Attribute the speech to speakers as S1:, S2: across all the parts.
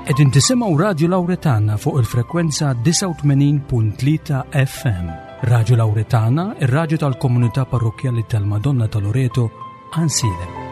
S1: Qegħdin tisimgħu Radju Lawretana fuq il-frekwenza 89.3 FM. Radju Lawretana, ir-radju tal-komunità parrokkjali tal-Madonna ta' Loreto, Ansilem.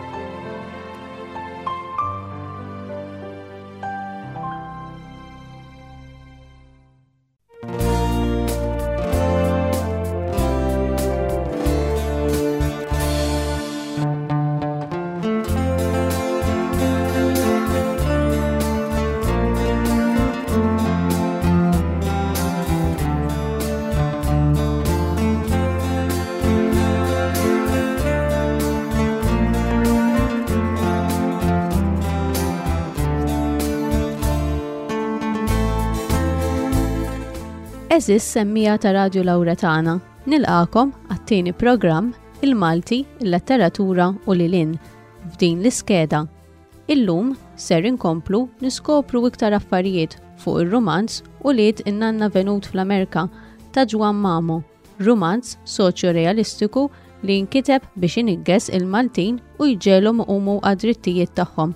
S2: Eżis semmija ta' Radju Lawretana, nilqakom għat-tieni programm Il-Malti, il-Letteratura u Lilin f'din l-iskeda. Illum ser inkomplu niskopru iktar affarijiet fuq ir-rumanz Ulied in-Nanna Venut fl-Amerka ta' Ġwann Mamo, rumanz soċjo-realistiku li nkiteb biex iniggeż il-Maltin u jġegħelhom iqumu għad-drittijiet tagħhom.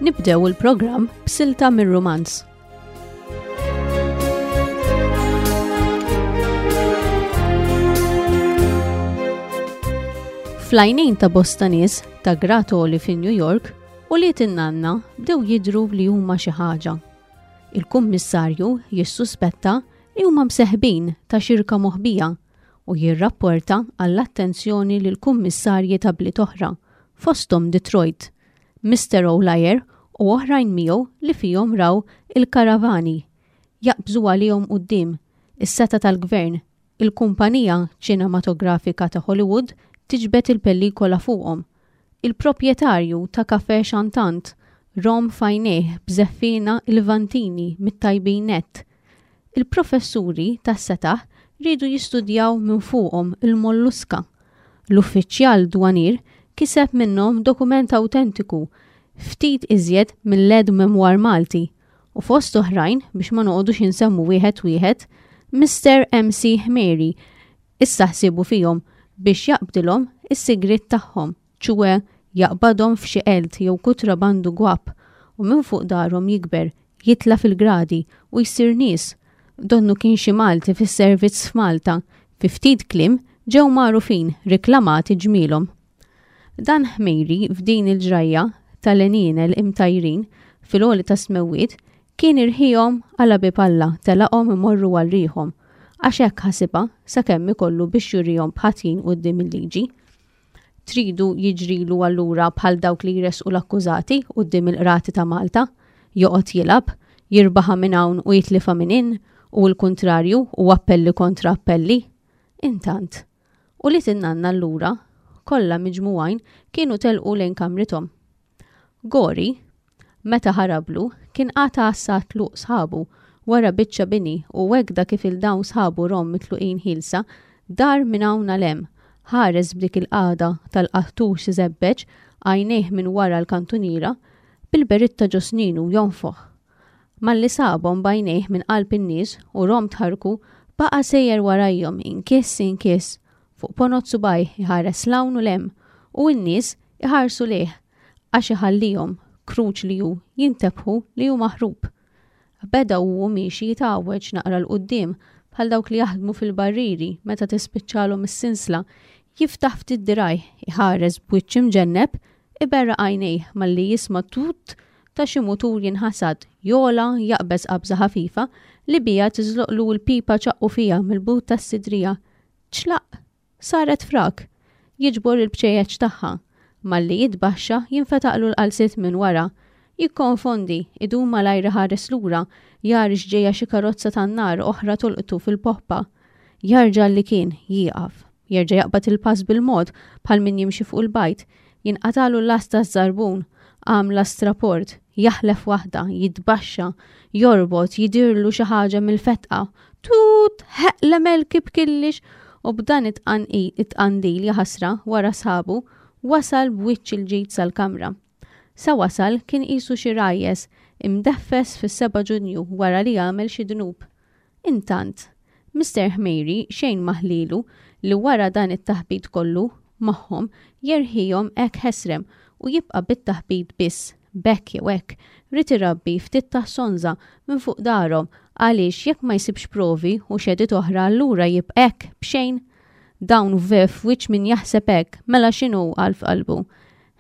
S2: Nibdew il-programm b'silta mir-rumanz. Fl-għajnejn ta' bosta nies ta' grad għoli fi New York, ulied in-nanna bdew jidhru li huma xi ħaġa. Il-kummissarju jissuspetta li huma mseħbin ta' xirka moħbija u jirrapporta għall-attenzjoni lill-kummissarji ta' bliet oħra, fosthom Detroit, Mister O'Liar u oħrajn miegħu li fihom raw il-karavani jaqbżu għalihom quddiem is-setgħa tal-gvern, il-kumpanija ċinematografika ta' Hollywood tiġbed il-pellikola fuqhom, il-proprjetarju ta' café chantant rom f'għajnejh b'żeffiena Lvantini mit-tajbin nett. Il-professuri tas-setaħ riedu jistudjaw minn fuqhom il-molluska. L-uffiċjal dwanier kiseb minnhom dokument awtentiku ftit iżjed mill-aide-memoire Malti u fost oħrajn biex ma noqogħdux insemmu wieħed wieħed, Mister MC Ħmeri issa ħsiebu fihom biex jaqbdilhom is-sigriet tagħhom, ċue jaqbadhom f'xi qelt jew kutrabandu gwapp u minn fuq darhom jikber, jitla' fil-gradi u jsir nies. Donnu kien xi Malti fis-servizz f'Malta, fi ftit kliem ġew magħrufin, riklamati ġmielhom. Dan Ħmejri f'din il-ġrajja tal-għenienel imtajrin fil-għoli tas-smewwiet kien irħiehom għal bieb Alla telaqhom imorru għal riħhom għax hekk ħasibha sakemm ikollu biex jurihom b'ħatjin quddiem il-liġi. Tridu jiġrilu allura bħal dawk li jressqu l-akkużati quddiem il-qrati ta' Malta, joqgħod jilgħab, jirbaħha minn hawn u jitlifha minn hinn u l-kuntrarju u appelli kontra appelli? Intant, ulied in-nanna allura, kollha miġmugħin kienu telqu lejn kamrithom. Gori, meta ħarablu, kien qagħad għassa għat-tluq sħabu wara biċċa bini u hekda kif 'il dawn sħabu rom mitluqin ħielsa, dar minn hawn għal hemm, ħares b'dik il-qagħda tal-qattux iżebbeġ għajnejh minn wara l-kantuniera, bil-beritta ġo sninu jonfoħ. Malli sabhom b'għajnejh minn qalb in-nies u rom tħarrku, baqa' sejjer warajhom inkiss inkiss, fuq ponot subgħajh iħares 'l hawn u 'l hemm u n-nies iħarsu lejh għax iħallihom, kruċ li hu, jintebħu li hu maħrub. Beda u hu miexi jitgħawweġ naqra 'l quddiem bħal dawk li jaħdmu fil-barrieri meta tispiċċalhom is-sinsla, jiftaħ ftit dirgħajh, iħares b'wiċċ imġenneb, iberraq għajnejh malli jisma' tut ta' xi mutur jinħasad, jogħla, jaqbeż qabża ħafifa li biha tiżloqlu l-pipa ċaqqu fiha mill-but tas-sidrija. Ċlaqq! Saret frak! Jiġbor il-bċejjeċ tagħha. Malli jitbaxxa, jinfetaqlu l-qalziet minn wara. Jikkonfondi, idum malajr iħares lura, jara x'ġejja xi karozza tan-nar oħra tolqtu fil-poppa. Jarġa' għal li kien, jieqaf. Jerġa' jaqbad il-pass bil-mod, bħal min jimxi fuq il-bajd. Jinqatagħlu l-last taż-żarbun. Għamla straport. Jaħlef waħda, jitbaxxa, jorbot, jidirlu xi ħaġa mill-fetqa. Tut, ħeqle melki b'killix u b'dan it-tqandil jaħasra wara sħabu wasal b'wiċċ il-ġid sal-kamra. Sa wasal kien qisu xi rajjes imdeffes fis-7 Ġunju wara li għamel xi dnub. Intant, Mister Ħmejri xejn ma ħlielu li wara dan it-taħbit kollu magħhom jerħihom hekk ħesrem u jibqa' bit-taħbit biss, b'hekk jew hekk, ried irabbi ftit taħsonża minn fuq darhom għaliex jekk ma jsibx provi u xehdiet oħra allura jibqa' hekk b'xejn. Dawn vef wiċċ min jaħseb hekk, mela x'inhu qal f'qalbu.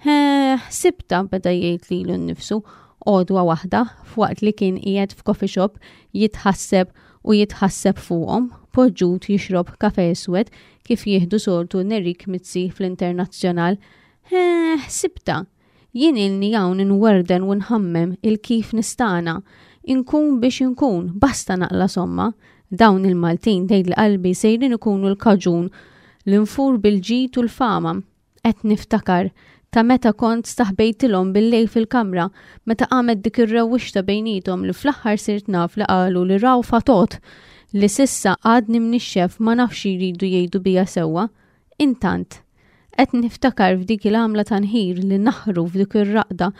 S2: Ħeeh, ħsibtha, beda jgħid lilu nnifsu għodwa waħda f'waqt li kien qiegħed f'coffee shop jitħasseb u jitħasseb fuqhom, poġġut jixrob kafè iswed kif jieħdu soltu Nerik Mizzi fl-Internazzjonal. Ħeeh, ħsibtha! Jien ilni hawn inwerden u nħammem il-kif nistagħna. Inkun biex inkun, basta naqla' somma. Dawn il-Maltin tgħidli qalbi sejrin ikunu l-kaġun li nfur bil-ġid u l-fama. Qed niftakar ta' meta kont staħbejtilhom bil-lejl fil-kamra, meta qamet dik ir-rewwixta bejniethom li fl-aħħar sirt naf li qalu li raw fatot li s'issa għadni mnixxef ma nafx xi jridu jgħidu bija sewwa. Intant, qed niftakar f'dik il-għamla ta' nħir li naħru f'dik ir-raqda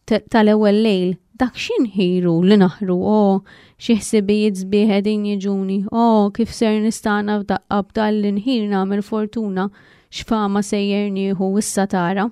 S2: tal-ewwel lejl, dak xi nħir hu li naħru, oh, xi ħsibijiet sbieħ qegħdin jiġuni, oh, kif ser nistagħna f'daqqa b'dan l-inħir nagħmel fortuna, x'fama sejjer nieħu issa tara.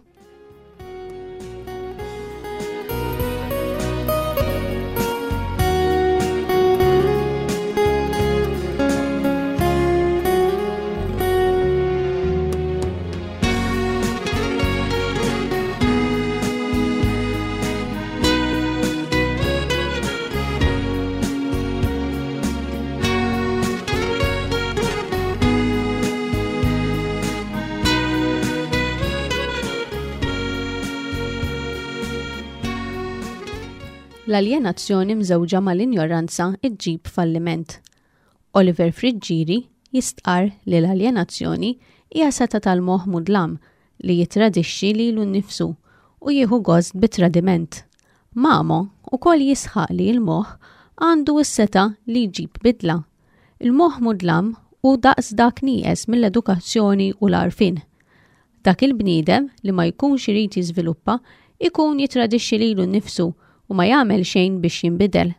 S2: L-aljenazzjoni mżewġa mal-injoranza ġġib falliment. Oliver Friggieri jistqarr li l-aljenazzjoni hija setgħa tal-moħħ mudlam li jittradixxi lilu nnifsu u jieħu gost bit-tradiment. Mamo ukoll jisħaq li l-moħħ għandu s-setgħa li jġib bidla. Il-moħħ mudlam hu daqs dak nieqes mill-edukazzjoni u l-għarfien. Dak il-bniedem li ma jkunx irid jiżviluppa ikun jittradixxi lilu nnifsu u ma jagħmel xejn biex jinbidel.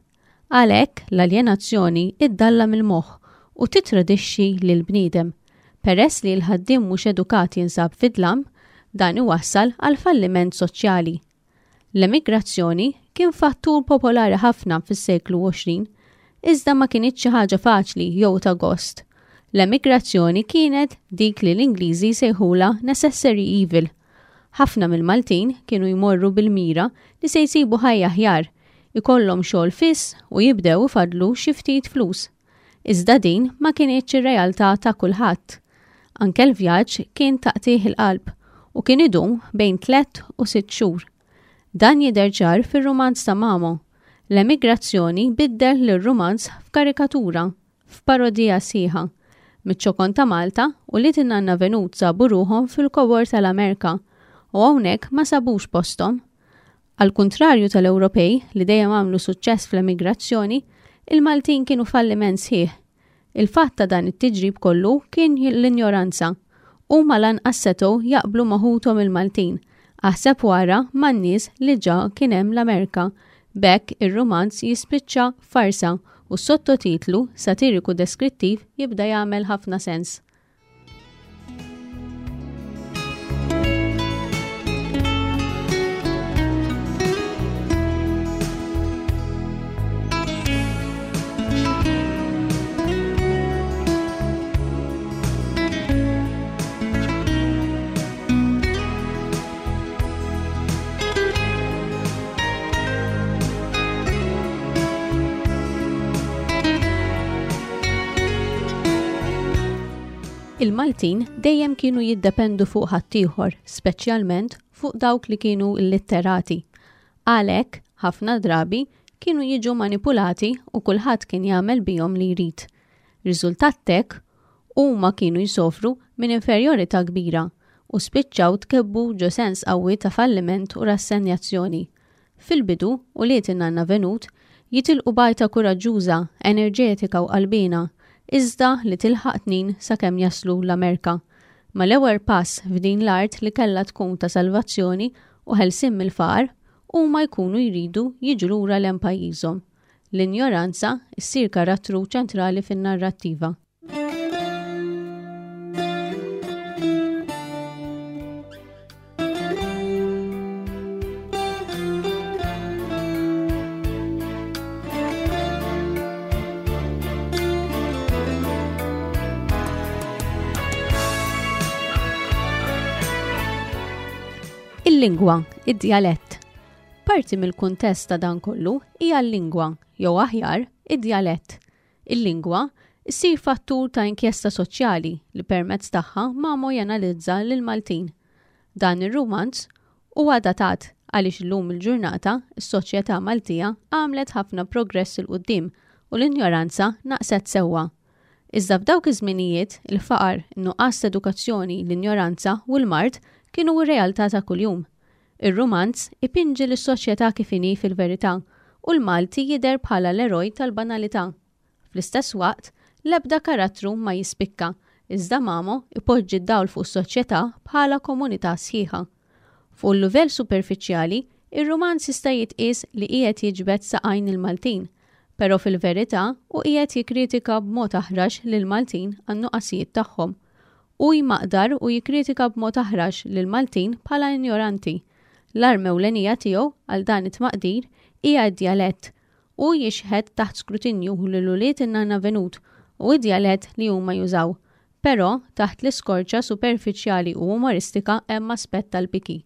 S2: Għalhekk l-aljenazzjoni ddallam il-moħħ u tittradixxi lill-bniedem. Peress li l-ħaddiem mhux edukat jinsab fid-dlam, dan iwassal għal falliment soċjali. L-emigrazzjoni kien fattur popolari ħafna fis-seklu 20, iżda ma kinitx xi ħaġa faċli jew ta' gost. L-emigrazzjoni kienet dik li l-Ingliżi jsejħulha necessary evil. Ħafna mill-Maltin kienu jmorru bil-mira li se jsibu ħajja aħjar, ikollhom xogħol fiss u jibdew ifaddlu xi ftit flus. Iżda din ma kinitx ir-realtà ta' kulħadd. Anke l-vjaġġ kien ta' qtigħ il-qalb u kien idum bejn tlett u sitt xhur. Dan jidher ċar fir-rumanz ta' Mamo. L-emigrazzjoni biddel lir-rumanz f'karikatura, f'parodija sħiħa. Miċ-ċokon ta' Malta, ulied in-Nanna Venut sabu ruħhom fil-kobor tal-Amerka u hawnhekk ma sabux posthom. Għall-kuntrarju tal-Ewropej li dejjem għamlu suċċess fl-emigrazzjoni, il-Maltin kienu falliment sħiħ. Il-fatt ta' dan it-tiġrib kollu kien l-injoranza. Huma lanqas setgħu jaqblu ma' ħuthom il-Maltin, aħseb u ara man-nies li ġa kien hemm l-Amerka. B'hekk ir-rumanz jispiċċa farsa u s-sottotitlu satiriku deskrittiv jibda jagħmel ħafna sens. Il-Maltin dejjem kienu jiddependu fuq ħaddieħor, speċjalment fuq dawk li kienu illitterati. Għalhekk, ħafna drabi, kienu jiġu manipulati u kulħadd kien jagħmel bihom li jrid. Riżultat t'hekk, huma kienu jsofru minn inferjorità kbira u spiċċaw tkebbu ġo sens qawwi ta' falliment u rassenjazzjoni. Fil-bidu, ulied in-nanna Venut jitilqu b'għajta kuraġġuża, enerġetika u qalbiena, iżda li tilħaq tnin sakemm jaslu l-Amerka. Mal-ewwel pass f'din l-art li kellha tkun ta' salvazzjoni u ħelsien mill-faqar, huma jkunu jridu jiġu lura 'l hemm pajjiżhom. L-injoranza ssir karattru ċentrali fin-narrattiva. Il-lingwa, id-djalett. Parti mill-kuntest ta' dan kollu hija l-lingwa, jew aħjar, id-djalett. Il-lingwa ssir fattur ta' inkjesta soċjali li permezz tagħha Mamo janalizza lill-Maltin. Dan ir-rumanz huwa datat għaliex illum il-ġurnata s-soċjetà Maltija għamlet ħafna progress 'il quddiem u l-injoranza naqset sewwa. Iżda f'dawk iż-żminijiet, il-faqar, in-nuqqas t'edukazzjoni, l-injoranza u l-mard kienu r-realtà ta' kuljum. Ir-rumanz ipinġi lis-soċjetà kif inhi fil-verità u l-Malti jidher bħala l-eroj tal-banalità. Fl-istess waqt, l-ebda karattru ma jispikka, iżda Mamo ipoġġi d-dawl fuq is-soċjetà bħala komunità sħiħa. Fuq il-livell superfiċjali, ir-rumanz jista' jitqies li qiegħed jiġbed saqajn il-Maltin, però fil-verità hu qiegħed jikkritika b'mod aħrax lill-Maltin għan-nuqqasijiet tagħhom. Hu jmaqdar u jikkritika b'mod aħrax lill-Maltin bħala injoranti. L-arma ewlenija tiegħu għal dan it-tmaqdir hija d-djalett. Hu jixħet taħt skrutinju lil ulied in-Nanna Venut u d-djalett li huma jużaw. Però, taħt l-iskorċa superfiċjali u umoristika hemm aspett tal-piki.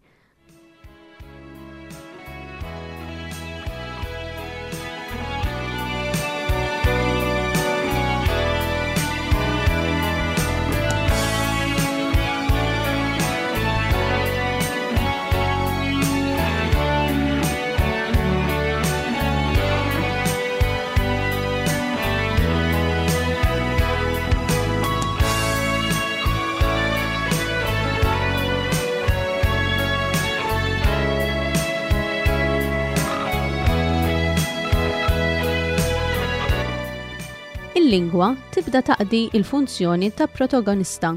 S2: Il-lingwa tibda taqdi il-funzjoni ta' protagonista.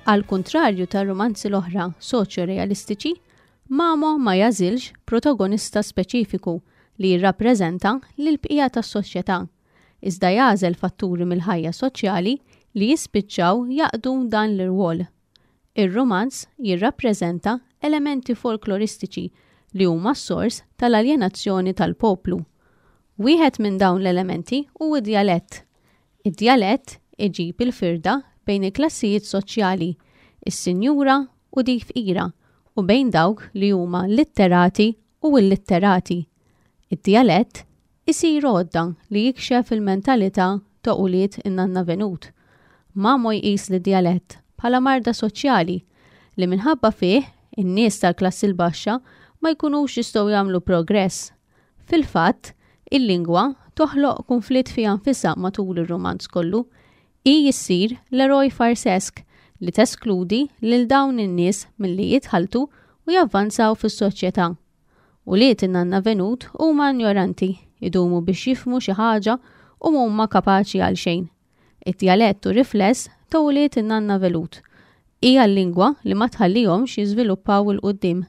S2: Għal kuntrarju ta' rumanzi l-oħra soċjo-realistiċi, Mamo ma jagħżilx protagonista speċifiku li jirrappreżenta lill-bqija tas-soċjetà, iżda jagħżel fatturi mill-ħajja soċjali li jispiċċaw jaqdu dan l-irwol. Ir-rumanz jirrappreżenta elementi folkloristiċi li huma s-sors tal-aljenazzjoni tal-poplu. Wieħed minn dawn l-elementi hu d-djalett. Id-djalett iġib il-firda bejn il-klassijiet soċjali, is-sinjura u dik fqira, u bejn dawk li huma litterati u illitterati. Id-djalett isir għodda li jikxef il-mentalità ta' ulied in-nanna Venut. Mamo jqis lid-djalett bħala marda soċjali li minħabba fih in-nies tal-klassi l-baxxa ma jkunux jistgħu jagħmlu progress. Fil-fatt, il-lingwa toħloq kunflitt fiha nfisha matul ir-rumanz kollu. Hi ssir l-eroj farsesk li teskludi lil dawn in-nies milli jitħalltu u javvanzaw fis-soċjetà. Ulied in-nanna Venut huma injoranti, idumu biex jifhmu xi ħaġa u m'huma kapaċi għal xejn. Id-djalett hu rifless ta' ulied in-nanna Velut. Hija l-lingwa li ma tħallihomx jiżviluppaw 'il quddiem.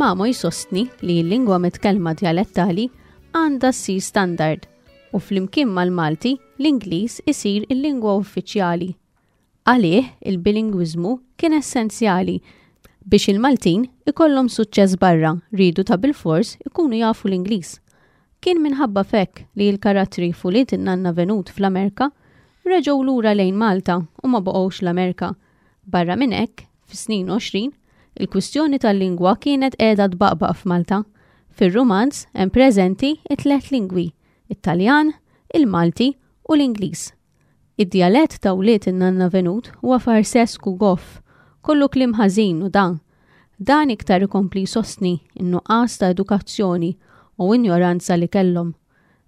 S2: Mamo jsostni li l-lingwa mitkellma djalettali għandha ssir standard u flimkien mal-Malti l-Ingliż isir il-lingwa uffiċjali. Għalih, il-bilingwiżmu kien essenzjali biex il-Maltin ikollhom suċċess barra riedu ta' bilfors ikunu jafu l-Ingliż. Kien minħabba f'hekk li l-karattri f'Ulied in-Nanna Venut fl-Amerka reġgħu lura lejn Malta u ma baqgħux l-Amerka. Barra minn hekk, fis-snin 20, il-kwistjoni tal-lingwa kienet qiegħda tbaqbaq f'Malta. Fir-rumanz hemm preżenti t-tlett lingwi, it-Taljan, il-Malti u l-Ingliż. Id-djalett ta' wlied in-nanna Venut huwa farsesk u goff, kollu kliem ħażin u da. Dan iktar ikompli jsostni n-nuqqas ta' edukazzjoni u injoranza li kellhom.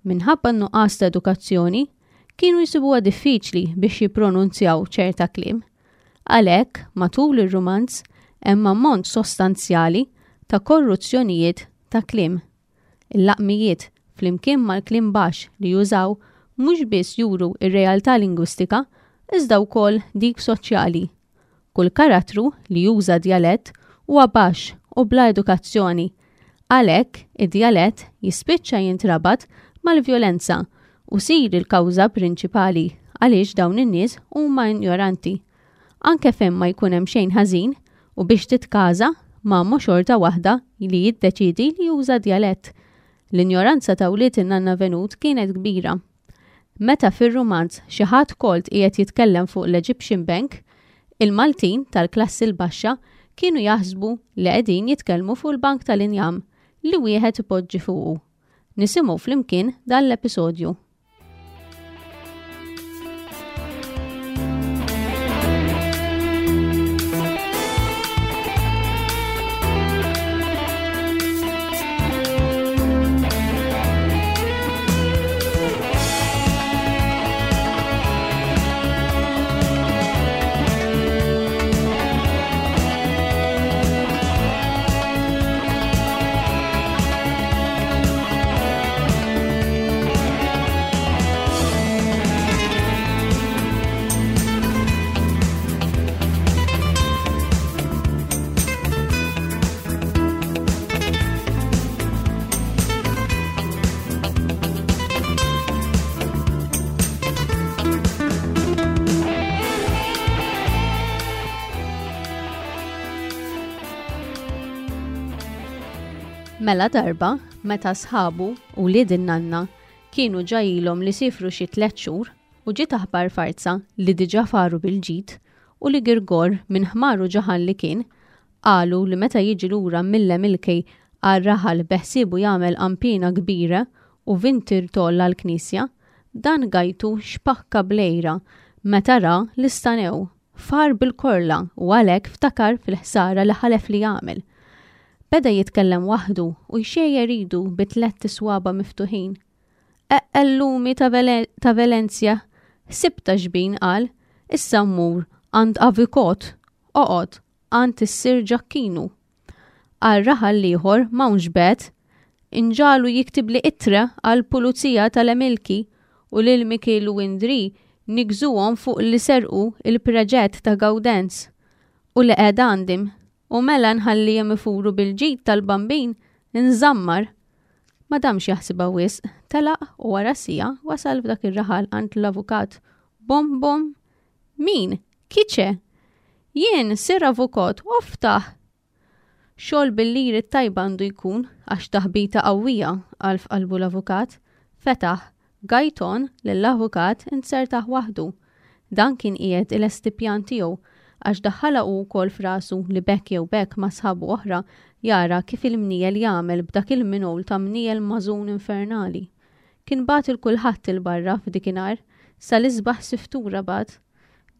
S2: Minħabba n-nuqqas ta' edukazzjoni, kienu jsibuha diffiċli biex jippronunzjaw ċerta kliem. Għalhekk, matul ir-rumanz hemm ammont sostanzjali ta' korruzzjonijiet ta' kliem. Il-laqmijiet, flimkien mal-kliem baxx li jużaw, mhux biss juru r-realtà lingwistika, iżda wkoll dik soċjali. Kull karattru li juża djalett huwa baxx u bla edukazzjoni. Għalhekk, id-djalett jispiċċa jintrabat mal-vjolenza u jsir il-kawża prinċipali għaliex dawn in-nies huma injoranti. Anke fejn ma jkun hemm xejn ħażin u biex titkaża, Mamo xorta waħda li jiddeċiedi li juża djalett. L-injoranza ta' wlied in-nanna Venut kienet kbira. Meta fir-rumanz xi ħadd kolt qiegħed jitkellem fuq l-Egyptian Bank, il-Maltin tal-klassi l-baxxa kienu jaħsbu li qegħdin jitkellmu fuq il-bank tal-injam li wieħed ipoġġi fuqu. Nisimgħu flimkien dan l-episodju. Mela darba, meta sħabu u wlied in-nanna kienu ġa ilhom li siefru xi tlett xhur u ġiet aħbar farza li diġà faru bil-ġid u li Girgor minn ħmaru ġaħan li kien, qalu li meta jiġi lura mill-Emilkej għar-raħal beħsiebu jagħmel qanpiena kbira u vintirtoll għall-knisja, dan gajtu xpakka bl-għira meta ra li stanew, far bil-korla u għalhekk ftakar fil-ħsara li ħalef li jagħmel. Beda jitkellem waħdu u jxejjer idu bi tlett iswaba' miftuħin. Eqqellumi ta' ta' Velenzja, ħsibtha xbin qal, issa mmur għand avikot, oqgħod, għand is-Sir Ġakkinu. Għar-raħal l-ieħor m'hawnx bet, inġagħlu jiktibli ittra għall-pulizija tal-Emilki u lil Mikiel u Indri nigżuhom fuq li serqu il-preġett ta' Gawdenz u li qegħed għandim u mela nħallihom ifuru bil-ġid tal-Bambin nżammar. Ma damx jaħsibha wisq, telaq u wara siegħa wasal f'dak ir-raħal għand l-avukat. Bum bum! Min? Chi c'è? Jien, Sir Avukot, oftaħ! Xogħol bil-liri t-tajba għandu jkun, għax taħbita qawwija, qal f'qalbu l-avukat. Fetaħ. Gajton, lill-avukat, inzertah waħdu. Dan kien qiegħed ilesti pjan tiegħu, għax daħħalha hu wkoll f'rasu li b'hekk jew b'hekk ma' sħabu oħra jara kif il-mniegħel jagħmel b'dak il-mingħul ta' mniegħel mażun infernali. Kien bagħat 'il kulħadd 'il barra f'dikinhar, sa l-isbaħ siftura bagħat.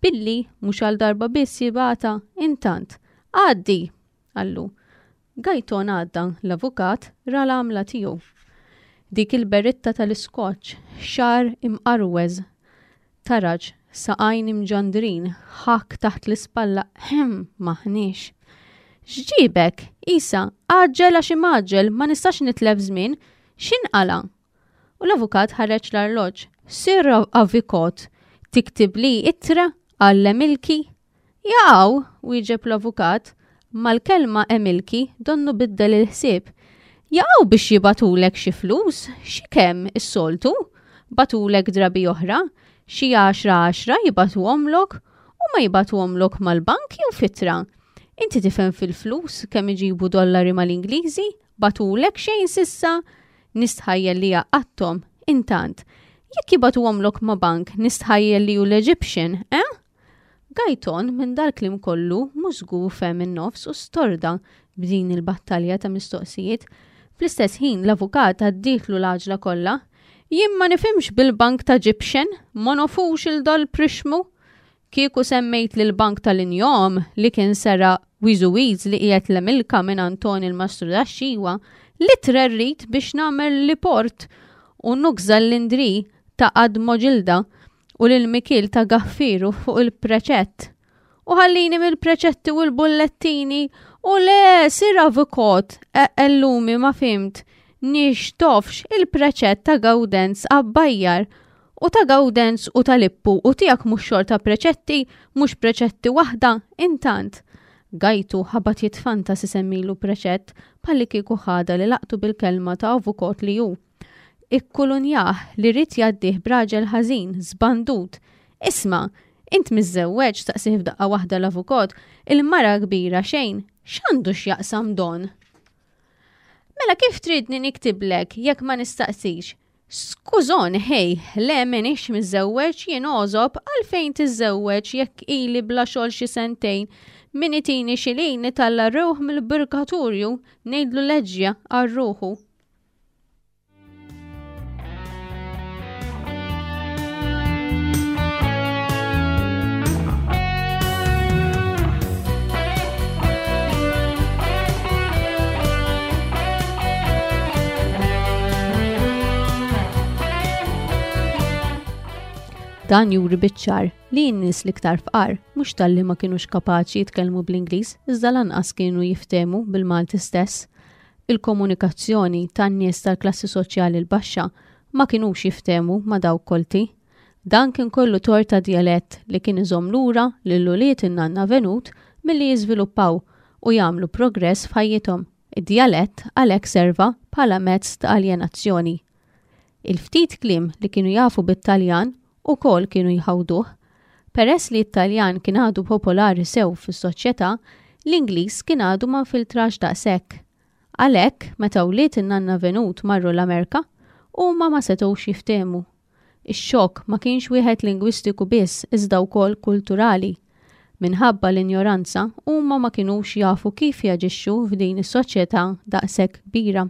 S2: Billi, mhux għal darba biss jibgħatha, intant, Għaddi! qallu. Gajton għadda, l-avukat ra l-għamla tiegħu. Dik il-beritta tal-iskoċċ, xagħar imqarweż, taraġ, saqajn imġandrin, ħakk taħt l-ispalla, ehem, m'aħniex. X'ġiebek? Isa, għaġġel għax imgħaġġel, ma nistax nitlef żmien, x'inqala'? U l-avukat ħareġ l-arloġġ. Sir Avikot, tiktibli ittra għall-Emilki? Jaqaw, wieġeb l-avukat, mal-kelma Emilki donnu biddel il-ħsieb. Jaqaw biex jibagħtulek xi flus, xi kemm is-soltu? Bagħtulek drabi oħra, xi għaxra għaxra jibagħtuhomlok u ma jibagħtuhomlok mal-bank jew f'ittra. Inti tifhem fil-flus kemm iġibu dollari mal-Ingliżi? Bagħtulek xejn s'issa? Nistħajjel li għaqqadthom. Intant, jekk jibagħtuhomlok ma' bank nistħajjel li hu l-Egyptian, eh? Gajton minn dal-kliem kollu mhux żgur fehem in-nofs u storda b'din il-battalja ta' mistoqsijiet. Fl-istess ħin l-avukat għaddietlu l-għaġla kollha. Jien ma nifhimx bil-bank ta' Gyptian, ma nofux il dal prixmu. Kieku semmejt lil bank tal-injom li kien seraq Wiżuwiż li qiegħed l-Emilka minn Antoni l-Mastrudaxxiwa li trerrid biex nagħmel li port u nugża l-Indri ta' Admoġilda u lil Mikiel ta' Gaffiru fuq il-preċett. U ħallini mill-preċetti u l-bullettini u le sir avukot ellumi ma fimt nix tofx il-preċett ta' Gawdenz Abbajjar u ta' Gawdenz u ta' Lippu u tiegħek mhux xorta preċetti, mhux preċetti waħda, intant. Gajtu ħabat jitfanta si semmilu preċett bħalli kieku ħada li laqtu bil-kelma ta' avukot li hu. Ikkulunjah li ried jgħaddih b'raġel ħażin, żbandut. Isma', int miżżewweġ, staqsieh f'daqqa waħda l-avukot, il-mara kbira xejn, x'għandu x'jaqsam Don? Mela kif tridni niktiblek jekk ma nistaqsix? Skużon, ħej, le m'iniex miżżewweġ jien għożob għalfejn tiżżewweġ jekk ili bla xogħol xi sentejn. Min itini xi lin nitalla' rewħ mill-purgatorju ngħidlu leġġja għal ruħu. Dan juri biċ-ċar li n-nies l-iktar fqar mhux talli ma kinux kapaċi jitkellmu bl-Ingliż iżda lanqas kienu jiftehmu bil-Malti stess. Il-komunikazzjoni tan-nies tal-klassi soċjali l-baxxa ma kinux jiftehmu ma' dawk kolti. Dan kien kollu tort ta' djalett li kien iżomm lura lil ulied in-nanna Venut milli jiżviluppaw u jagħmlu progress f'ħajjithom. Id-djalett għalhekk serva bħala mezz ta' aljenazzjoni. Il-ftit kliem li kienu jafu bit-Taljan ukoll kienu jħawduh. Peress li t-Taljan kien għadu popolari sew fis-soċjetà, l-Ingliż kien għadu ma nfiltrax daqshekk. Għalhekk, meta wlied in-nanna Venut marru l-Amerka, huma ma setgħux jiftehmu. Ix-xokk ma kienx wieħed lingwistiku biss iżda wkoll kulturali. Minħabba l-injoranza, huma ma kinux jafu kif jaġixxu f'din is-soċjetà daqshekk kbira.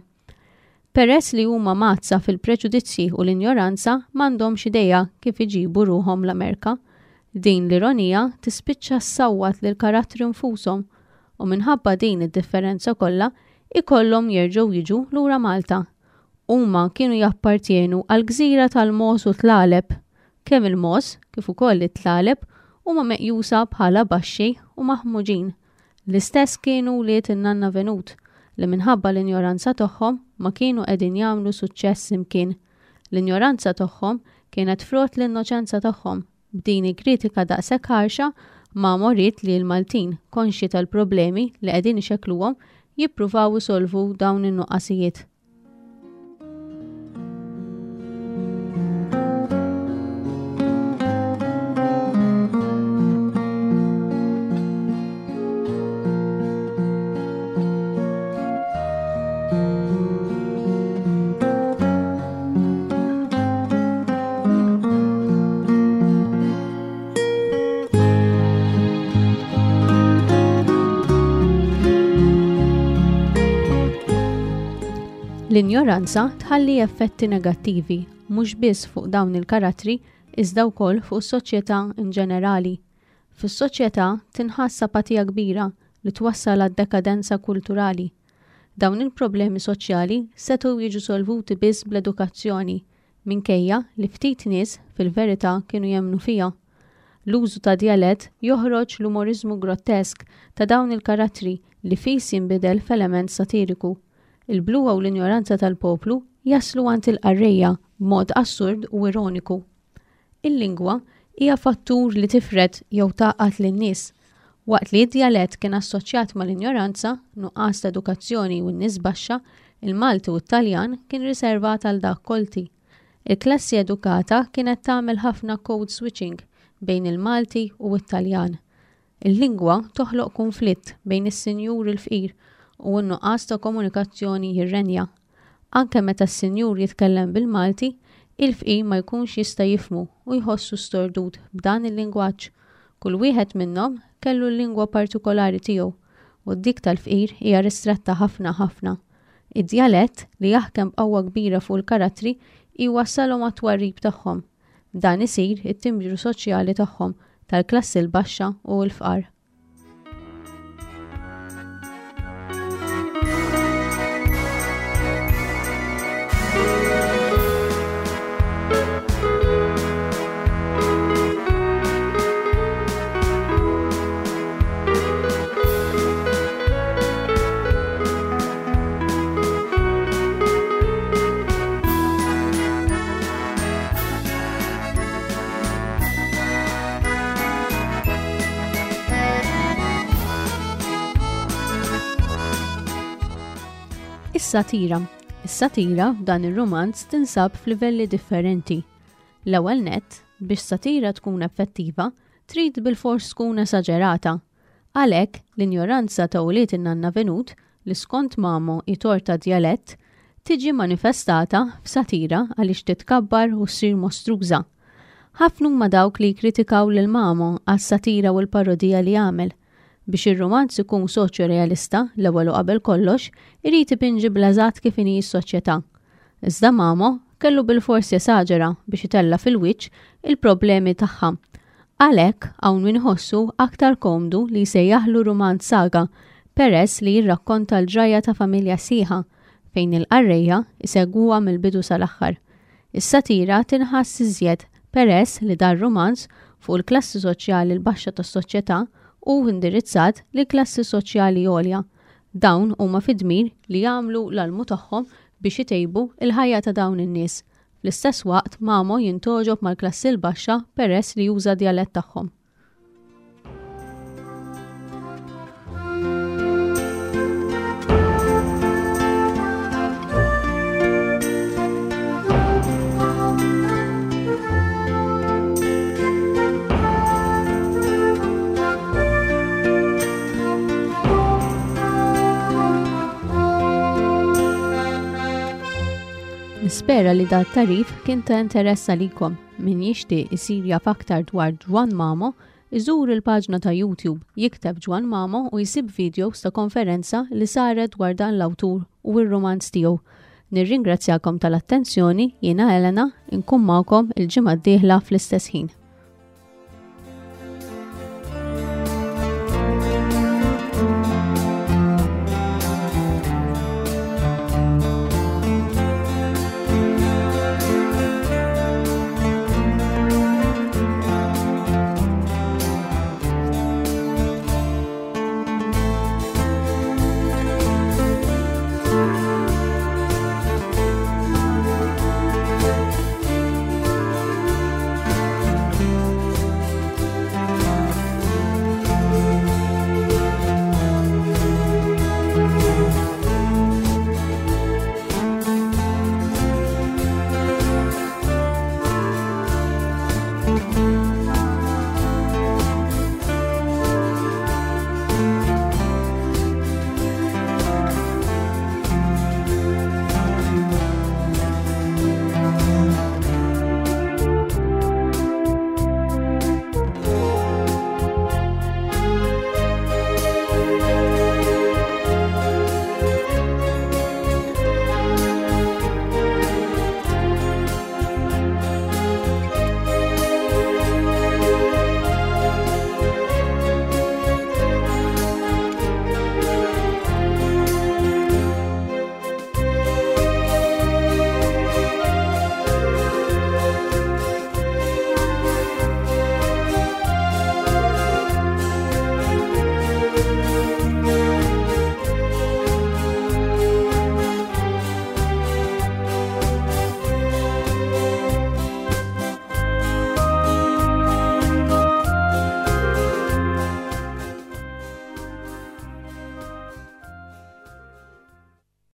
S2: Peress li huma mgħaddsa fil-preġudizzji u l-injoranza m'għandhomx idea kif iġibu ruħhom l-Amerka. Din l-ironija tispiċċa ssawwat lill-karattri nfushom u minħabba din id-differenza kollha ikollhom jerġgħu jiġu lura Malta. Huma kienu jappartjenu għall-gżira tal-mogħoż u t-tlaleb. Kemm il-mogħoż kif ukoll it-tlaleb huma meqjusa bħala baxxi u maħmuġin. L-istess kienu wlied in-nanna Venut, li minħabba l-injoranza tagħhom ma kienu qegħdin jagħmlu suċċess imkien. L-injoranza tagħhom kienet frott l-innoċenza tagħhom. B'din il-kritika daqshekk ħarxa, Mamo ried li l-Maltin, konxji tal-problemi li qegħdin ixekkluhom, jippruvaw isolvu dawn in-nuqqasijiet. L-injoranza tħalli effetti negattivi mhux biss fuq dawn il-karattri iżda wkoll fuq is-soċjetà in ġenerali. Fis-soċjetà tinħass apatija kbira li twassal għad-dekadenza kulturali. Dawn il-problemi soċjali setgħu jiġu solvuti biss bl-edukazzjoni, minkejja li ftit nies fil-verità kienu jemmnu fiha. L-użu ta' djalett joħroġ l-umoriżmu grottesk ta' dawn il-karattri li fis jinbidel f'element satiriku. Il-bluha u l-injoranza tal-poplu jaslu għand il-qarrejja b'mod assurd u ironiku. Il-lingwa hija fattur li tifred jew tgħaqqad lin-nies. Waqt li d-djalett kien assoċjat mal-injoranza, nuqqas ta' edukazzjoni u n-nies baxxa, il-Malti u t-Taljan kien riservat għal dak kolti. Il-klassi edukata kienet tagħmel ħafna code switching bejn il-Malti u t-Taljan. Il-lingwa toħloq kunflitt bejn is-sinjur il-fqir u n-nuqqas ta' komunikazzjoni jirrenja. Anke meta s-sinjur jitkellem bil-Malti, il-fqir ma jkunx jista' jifhmu u jħossu stordut b'dan il-lingwaġġ. Kull wieħed minnhom kellu l-lingwa partikolari tiegħu u dik tal-fqir hija ristretta ħafna ħafna. Id-djalett, li jaħkem b'qawwa kbira fuq il-karattri, jwassalhom għat-twarrib tagħhom. Dan isir it-timbru soċjali tagħhom, tal-klassi l-baxxa u l-fqar. Is-satira. Is-satira f'dan ir-rumanz tinsab f'livelli differenti. L-ewwel nett, biex satira tkun effettiva, trid bilfors tkun esaġerata. Għalhekk, l-injoranza ta' ulied in-nanna Venut, li skont Mamo hi tort tad-djalett, tiġi manifestata f'satira għaliex titkabbar u ssir mostruża. Ħafna huma dawk li jikkritikaw lil Mamo għas-satira u l-parodija li għamel. Biex ir-rumanz ikun soċjorealista, l-ewwel u qabel kollox, irid ipinġi bl-eżatt kif inhi s-soċjetà. Iżda Mamo kellu bilfors jesaġera biex itella' fil-wiċċ il-problemi tagħha. Għalhekk hawn min iħossu aktar komdu li jsejjaħlu rumanz saga peress li jirrakkonta l-ġrajja ta' familja sħiħa fejn il-qarrejja jsegwuha mill-bidu sal-aħħar. Is-satira tinħass iżjed peress li dar-rumanz fuq il-klassi soċjali l-baxxa tas-soċjetà hu indirizzat lill-klassi soċjali għolja. Dawn huma fid-dmir li jagħmlu l-almu tagħhom biex itejbu l-ħajja ta' dawn in-nies. Fl-istess waqt Mamo jintgħoġob mal-klassi l-baxxa peress li juża d-djalett tagħhom. Nispera li dat tarif kien ta' interess għalikom. Min jixtieq isir jaf aktar dwar Ġwann Mamo, iżur il-paġna ta' YouTube, jikteb Ġwann Mamo u jsib videos ta' konferenza li saret dwar dan l-awtur u r-rumanz tiegħu. Nirringrazzjakom tal-attenzjoni, jiena Elena, inkun magħkom il-ġimgħa d-dieħla fl-istess ħin.